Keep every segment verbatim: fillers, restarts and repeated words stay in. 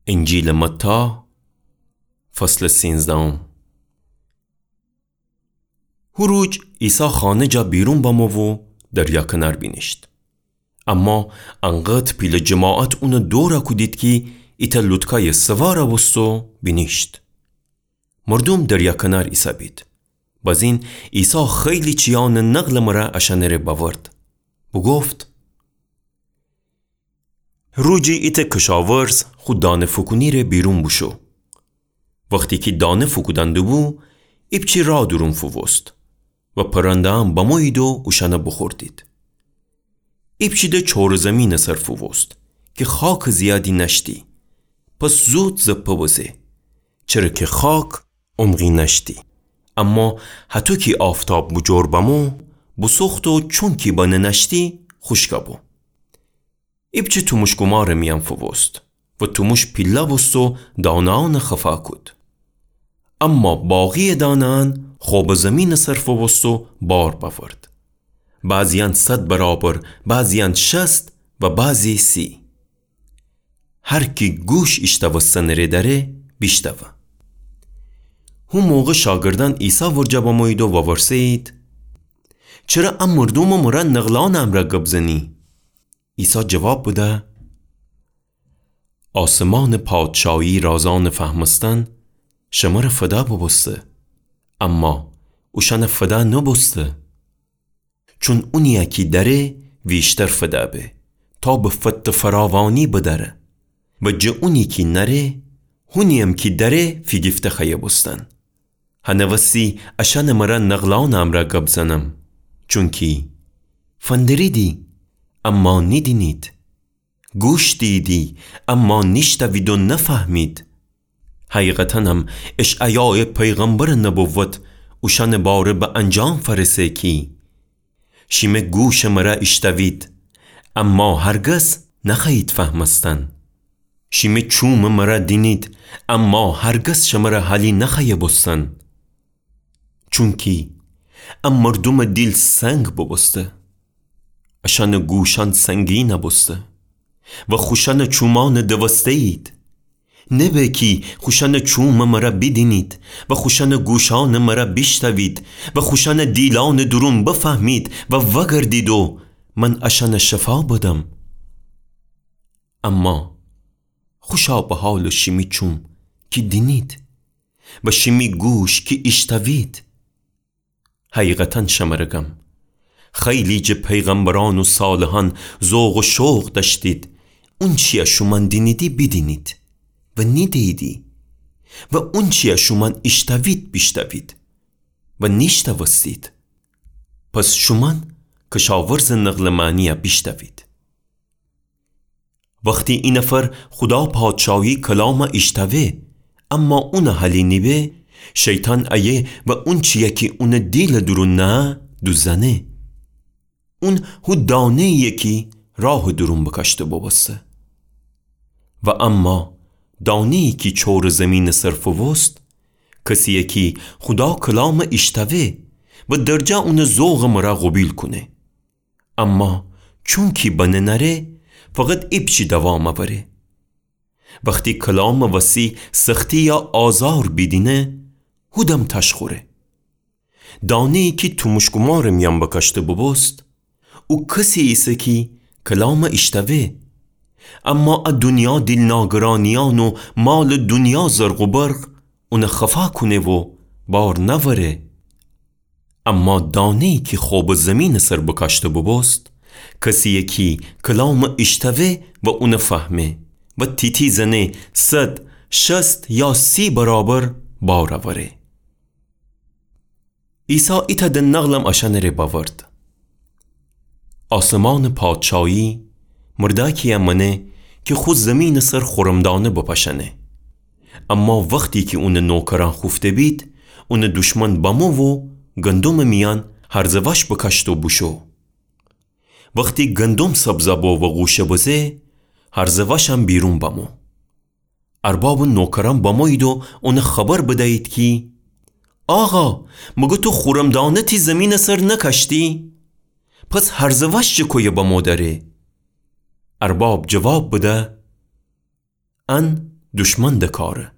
انجیلٚ متی، فصلٚ سینزدهم. هو روج عیسی خانه جا بیرون بمو و دریا کنار بینیشت. اما انقدر پیله جماعت اونٚ دورَ کودید کی ایتأ لوطکایٚ سوارَ بوست و بینیشت. مردوم دریا کنار ایسه‌بید. بزین عیسی خیلی چیانٚ نقلٚ مرا اشأنٚره بأورد. بوگفت: روجی ایتأ کشاورز خو دانه فوکونی‌ره بیرون بوشو. وختی کی دانه فوکودأن دوبو، ایپچی راه دورون فووست و پرنده‌یأن بمویید و اوشأنَ بوخوردید. ایپچی ده چورٚ زیمینٚ سر فووست کی خاکٚ زیادی نأشتی، پس زود زپه بزه، چره کی خاک عمقی نأشتی. اما هطو کی آفتاب بوجور بمو، بوسوخت و چونکی بنه نأشتی، خوشکَ بو. ایپچی توموش‌گومارٚ میأن فووست و توموش پیله بوست و دانه‌یأنَ خفا کود. اما باقی‌یٚ دانه‌یأن خب زیمینٚ سر فووست و بار بأورد. بعضی‌یأن صد برابر، بعضی‌یأن شصت و بعضی سی. هر کی گوش ایشتوستنٚره دأره، بیشتوه. هو موقع شاگردأن عیسی ورجه بمویید و وورسه‌یید: چره ا مردومٚ مرا نقلأنٚ امرأ گب زنی؟ عیسی جواب بده: آسمانٚ پادشاهی رازأنٚ فهمستن شمره فدا بوبوسته، اما اوشأنَ فدا نوبوسته. چون اونی‌یَ کی دأره ویشتر فدا به، تا به فت فراوانی بدأره. و جٚه اونی کی نأره، هونی‌یم کی دأره فیگیفته خوأیه بوستن. هنٚ وسی اشأنٚ مرا نقلأنٚ امرأ گب زنم، چونکی فندریدی، اما نیدینید. گوش دییدی، اما نیشتوید و نفهمید. حقیقتاً ام اشعیایٚ پیغمبرٚ نبوت اوشأنٚ باره به انجام فأرسه کی: شیمه گوشٚ مرا ایشتوید، اما هرگز نخوأیید فهمستن. شیمه چومٚ مرا دینید، اما هرگز شمره حالی نخوأیه بوستن. چونکی ا مردومٚ دیل سنگ بوبوسته، اشأنٚ گوشأن سنگین بوسته و خوشأنٚ چومأن دوسته‌یید. نبه کی خوشأنٚ چومٚ مرا بیدینید و خوشأنٚ گوشأنٚ مرا بیشتوید و خوشأنٚ دیلأنٚ دورون بفهمید و وأگردید و من اشأنٚ شفا بدم. اما خوشا به حالٚ شیمی چوم کی دینید و شیمی گوش کی ایشتوید. حقیقتاً شمره گم، خیلی جٚه پیغمبرأن و صالحأن ذوق و شوق دأشتید اونچی‌یَ شومأن دینیدی بیدینید و نیده‌ییدی و اونچی‌یَ شومأن ایشتوید بیشتوید و نیشتوستید. پس شومأن کشاورزٚ نقلٚ معنی‌یَ بیشتوید. وختی ای نفر خودا پادشاهی کلامَ ایشتوه، اما اونٚ حالی نیبه، شیطان ایه و اونچی‌یَ کی اونٚ دیلٚ دورون نهه دوزنه. اون هو دانه‌یی‌یه کی راهٚ دورون بکاشته بوبوسته. و اما دانه‌یی کی چورٚ زیمینٚ سر فووست، کسی‌یه کی خودا کلامَ ایشتوه و درجا اونٚ ذوقٚ مرا قوبیل کونه. اما چونکی بنه نأره، فقط ایپچی دوام اوره. وختی کلامٚ وسی سختی یا آزار بیدینه، هودم تاش خوره. دانه‌یی کی توموش‌گومارٚ میأن بکاشته بوبوست، او کسی ایسه کی کلامَ ایشتوه، اما ا دونیا دیل‌ناگرانیأن و مالٚ دونیا زرق و برق اونَ خفا کونه و بار نأوره. اما دانه‌یی کی خوبٚ زیمینٚ سر بکاشته بوبوست، کسی‌یه کی کلامَ ایشتوه و اونَ فهمه و تی‌تی زنه، صد، شصت یا سی برابر بار اوره. عیسی ایتأ دنه نقلم اشأنٚ ره بأورد. آسمانٚ پادشاهی مردأکی‌یَ مأنه کی خو زیمینٚ سر خورم‌دانه بپاشأنه. اما وختی کی اونٚ نوکرأن خوفته بید، اونٚ دوشمن بمو و گندمٚ میأن هرزه‌وأش بکاشت و بوشو. وختی گندم سبزَ بو و غوشه بزه، هرزه‌وأشم بیرون بمو. اربابٚ نوکرأن بمویید و اونَ خبر بدیید کی، آقا، مگر تو خورم‌دانه تی زیمینٚ سر نکاشتی؟ پس هرزه‌وأش چه کویه بمو دره؟ ارباب جواب بده، ان دشمن دکاره.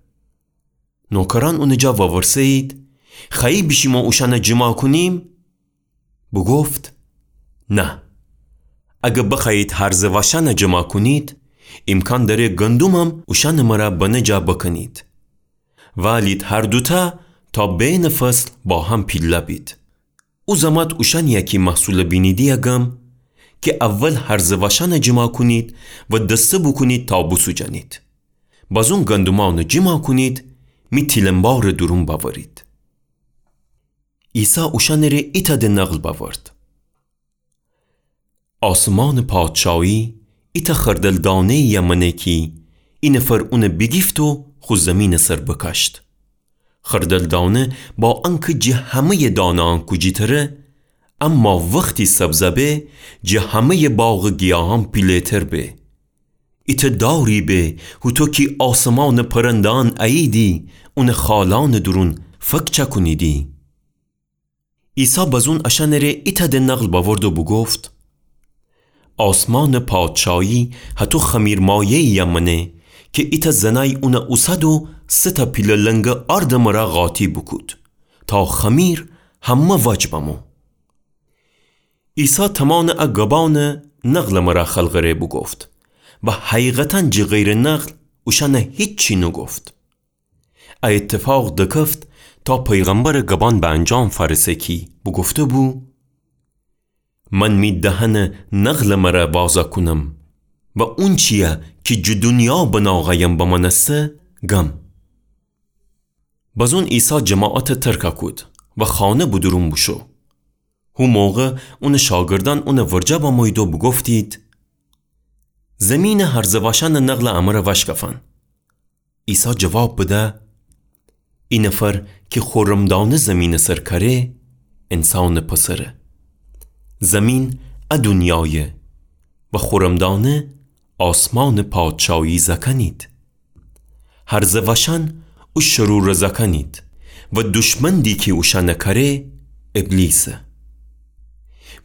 نوکرأن اونٚ جا وورسه‌یید: خوأیی بیشیم و اوشأنَ جیما کونیم؟ بوگفت: نه. اگر بخوأیید هرزٚ وأشأنَ جیما کونید، ایمکان دأره گندمم اوشأنٚ مرأ بنه جا بکنید. والید هر دوتأ تا بینٚ فصل با هم پیله بید. او زمأت اوشأنیی کی محصولَ بینیدی گم کی اول هرزٚ وأشأنَ جیما کونید و دسته بوکونید تا بوسوجأنید. بازون گندمأنَ جیما کونید، می تیلنبارٚ دورون بأورید. عیسی اوشأنٚ ره ایتأ د نقل بأورد: آسمانٚ پادشایی ایتأ خردل‌دانه‌یی مأنه کی اینفر اونَ بیگیفت و خو زیمینٚ سر بکاشت. خردل‌دانه با انکه جٚه همه‌یٚ دانه‌یأن کوجی‌تره، اما وختی سبزَ به، جٚه همه‌یٚ باغٚ گیاهأن پیله‌تر به. ایتأ داری به، هوطو کی آسمانٚ پرنده‌یأن اییدی، اونٚ خالأنٚ دورون فک چأکونیدی. عیسی بزون اشأنٚ ره ایتأ د نقل بأورد و بوگفت: آسمانٚ پادشایی هطو خمیرمایه‌یی مأنه کی ایتأ زنأی اونَ اوسد و سه‌تأ پیله لنگه آردٚ مرأ قاطی بوکود تا خمیر همه وج بمو. عیسی تمانٚ ا گبأنٚ نقلٚ مرأ خلقٚ ره بوگفت و حقیقتاً جٚه غیرٚ نقل اوشأنَ هیچی نوگفت. ا ایتفاق دکفت تا پیغمبرٚ گبأن به انجام فأرسه کی بوگفته‌بو: من می دهنَ نقلٚ مرأ وازَ کونم و اونچیی کی جٚه دونیا بناغه‌یم بمأنسته گم. بزون عیسی جماعتَ ترکَ کود و خانه به دورون بوشو. هو موقع اونٚ شاگردأن اونٚ ورجه بمویید و بوگفتید: زیمینٚ هرزٚ وأشأنٚ نقلَ امرأ وأشکفأن. عیسی جواب بده: اینفر کی خورم‌دانه زیمینٚ سر کأره، انسانٚ پسره. زیمین ا دونیایه و خورم‌دانه آسمانٚ پادشایی زأکأنید. هرزٚ وأشأن او شروره زأکأنید و دشمن دی کی اوشأنَ کأره، ابلیسه.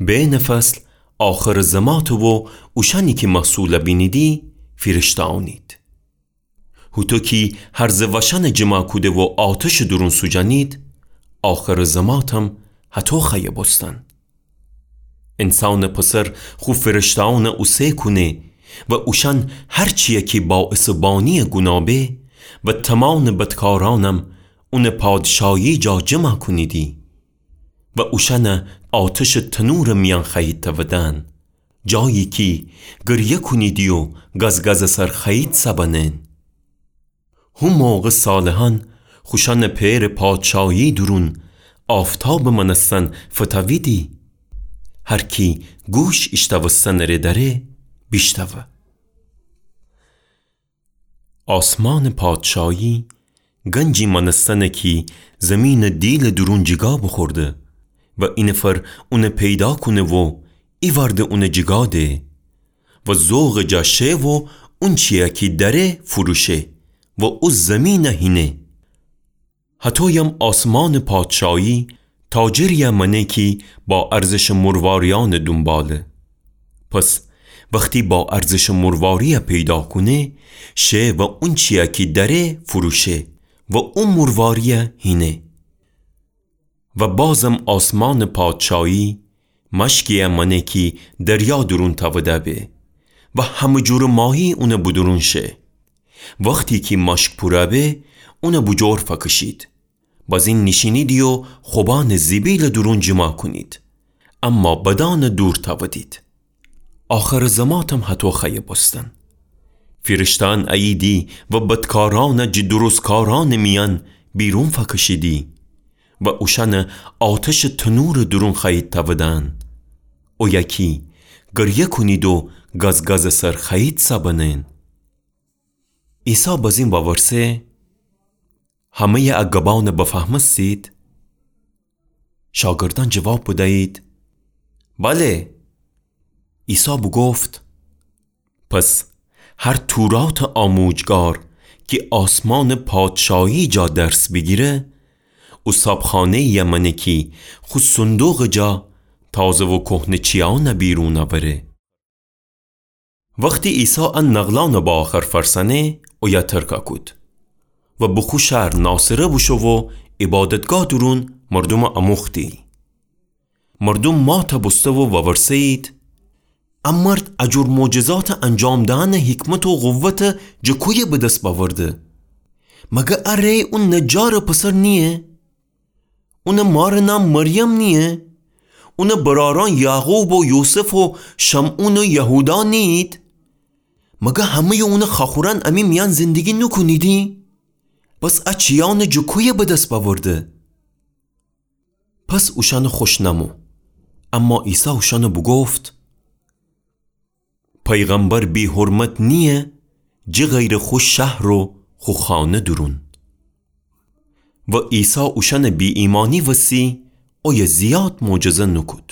بینٚ فصل آخرٚ زماته و اوشأنی کی محصولَ بینیدی، فیرشته‌یأنید. هوطو کی هرزٚ وأشأنَ جیما کوده و آتشٚ دورون سوجأنید، آخرٚ زماتم هطو خوأیه بوستن. انسانٚ پسر خو فیرشته‌یأنَ اوسه کونه و اوشأن هر چیی کی باعثٚ بانییٚ گوناه به و تمانٚ بدکارأنم اونٚ پادشایی جا جیما کونیدی و اوشأنَ آتشٚ تنورٚ میأن خوأیید تأودن، جایی کی گریه کونیدی و گزگزٚ سر خوأیید سبنن. هو موقع صالحأن خوشأنٚ پئرٚ پادشایی دورون آفتابٚ مأنستن فتأویدی. هر کی گوش ایشتوستنٚ ره دأره، بیشتوه. آسمانٚ پادشایی گنجی مأنستنه کی زیمینٚ دیلٚ دورون جیگا بوخورده و اینفر اونَ پیدا کونه و ایوأرده اونَ جیگا ده و ذوقٚ جا شه و اونچیی کی دأره فروشه و او زیمینَ هینه. هطویم آسمانٚ پادشایی تاجریی مأنه کی با ارزشٚ مرواریأنٚ دونباله. پس وختی با ارزشٚ مرواریی پیدا کونه، شه و اونچیی کی دأره فروشه و او مرواریی هینه. و بازم آسمانٚ پادشایی مشکیی مأنه کی دریا دورون تأوده به و همه جورٚ ماهی اونٚ بدورون شه. وختی کی مشک پورَ به، اونَ بوجور فأکشید. بازین نیشینیدی و خوبأنٚ زیبیلٚ دورون جیما کونید، اما بدأنَ دور تأودید. آخرٚ زماتم هطو خوأیه بوستن. فیرشته‌یأن اییدی و بدکارأنَ جٚه درستکارأنٚ میأن بیرون فأکشیدی و اوشأنَ آتشٚ تنورٚ دورون خوأیید تأودن. اویه کی گریه کونید و گزگزٚ سر خوأیید سبنن. عیسی بازین وورسه: همه‌یٚ ا گبأنَ بفهمستید؟ شاگردأن جواب بدیید: بله. عیسی بوگفت: پس هر توراتٚ آموجگار کی آسمانٚ پادشایی جا درس بیگیره، او صابخانه‌یی مأنه کی خو صندوقٚ جا تازه و کهنه چیأنَ بیرون اوره. وختی عیسی ا نقلأنٚ بأخر فرسأنه، اویه ترکه کود و به خو شهر ناصره بوشو و عبادتگاه دورون مردومٚ اموختی. مردوم ماته بوسته و وورسه‌یید: ا مرد ا جور معجزاتٚ انجام دئنٚ حکمت و قوت جٚه کویه به دس بأورده؟ مگر ا ره اون نجارٚ پسر نییه؟ اونٚ مارٚ نام مریم نییه؟ اونٚ برأرأن یعقوب و یوسف و شمعون و یهودا نییید؟ مگر همه‌یٚ اونٚ خوأخورأن امی میأن زندگی نوکونیدی؟ پس ا چیأنٚ جٚه کویه به دس بأورده؟ پس اوشأنٚ خوش نمو. اما عیسی اوشأنٚ بوگفت: پیغمبر بی‌حرمت نییه، جٚه غیرٚ خو شهر و خو خانه دورون. و عیسی اوشأنٚ بی‌ایمأنی وسی اویه زیاد معجزه نوکود.